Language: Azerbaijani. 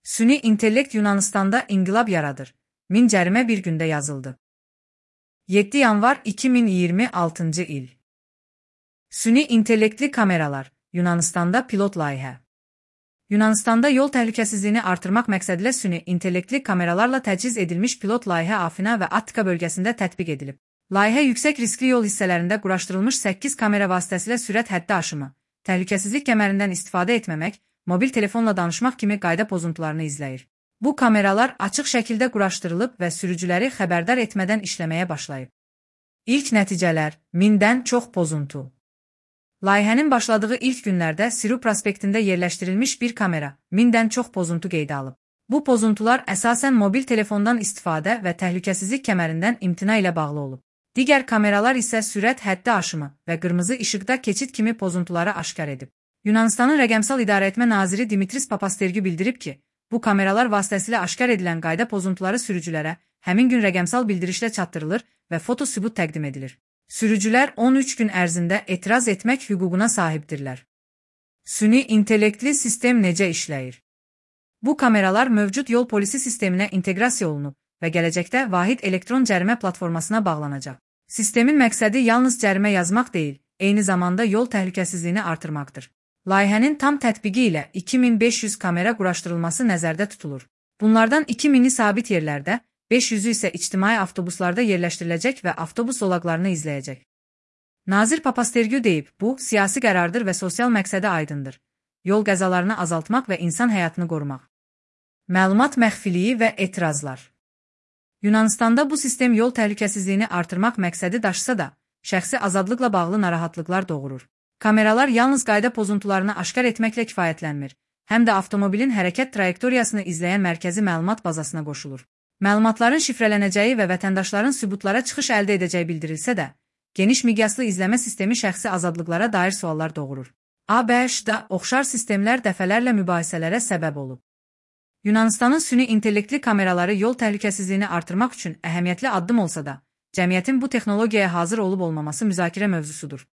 Süni intellekt Yunanistan'da inqilab yaradır. 1000 cərimə bir gündə yazıldı. 7 yanvar 2026 il. Süni intellektli kameralar Yunanistan'da pilot layihə. Yunanistan'da yol təhlükəsizliyini artırmaq məqsədilə süni intellektli kameralarla təchiz edilmiş pilot layihə Afina və Attika bölgəsində tətbiq edilib. Layihə yüksək riskli yol hissələrində quraşdırılmış 8 kamera vasitəsilə sürət həddi aşımı, təhlükəsizlik kəmərindən istifadə etməmək, mobil telefonla danışmaq kimi qayda pozuntularını izləyir. Bu kameralar açıq şəkildə quraşdırılıb və sürücüləri xəbərdar etmədən işləməyə başlayıb. İlk nəticələr, 1000-dən çox pozuntu. Layihənin başladığı ilk günlərdə Siru prospektində yerləşdirilmiş bir kamera, 1000-dən çox pozuntu qeydə alıb. Bu pozuntular əsasən mobil telefondan istifadə və təhlükəsizlik kəmərindən imtina ilə bağlı olub. Digər kameralar isə sürət həddi aşımı və qırmızı işıqda keçid kimi pozuntuları aşkar edib. Yunanistanın Rəqəmsal İdarəetmə naziri Dimitris Papastergiu bildirib ki, bu kameralar vasitəsilə aşkar edilən qayda pozuntuları sürücülərə həmin gün rəqəmsal bildirişlə çatdırılır və foto sübut təqdim edilir. Sürücülər 13 gün ərzində etiraz etmək hüququna sahibdirlər. Süni intellektli sistem necə işləyir? Bu kameralar mövcud yol polisi sisteminə inteqrasiya olunub və gələcəkdə vahid elektron cərimə platformasına bağlanacaq. Sistemin məqsədi yalnız cərimə yazmaq deyil, eyni zamanda yol təhlükəsizliyini artırmaqdır. Layihənin tam tətbiqi ilə 2500 kamera quraşdırılması nəzərdə tutulur. Bunlardan 2000-i sabit yerlərdə, 500-ü isə ictimai avtobuslarda yerləşdiriləcək və avtobus zolaqlarını izləyəcək. Nazir Papastergiu deyib, bu, siyasi qərardır və sosial məqsədi aydındır. Yol qəzalarını azaltmaq və insan həyatını qorumaq. Məlumat məxfiliyi və etirazlar. Yunanistanda bu sistem yol təhlükəsizliyini artırmaq məqsədi daşısa da, şəxsi azadlıqla bağlı narahatlıqlar doğurur. Kameralar yalnız qayda pozuntularını aşkar etməklə kifayətlənmir, həm də avtomobilin hərəkət trayektoriyasını izləyən mərkəzi məlumat bazasına qoşulur. Məlumatların şifrələnəcəyi və vətəndaşların sübutlara çıxış əldə edəcəyi bildirilsə də, geniş miqyaslı izləmə sistemi şəxsi azadlıqlara dair suallar doğurur. ABŞ-da oxşar sistemlər dəfələrlə mübahisələrə səbəb olub. Yunanistanın süni intellektli kameraları yol təhlükəsizliyini artırmaq üçün əhəmiyyətli addım olsa da, cəmiyyətin bu texnologiyaya hazır olub olmaması müzakirə mövzusudur.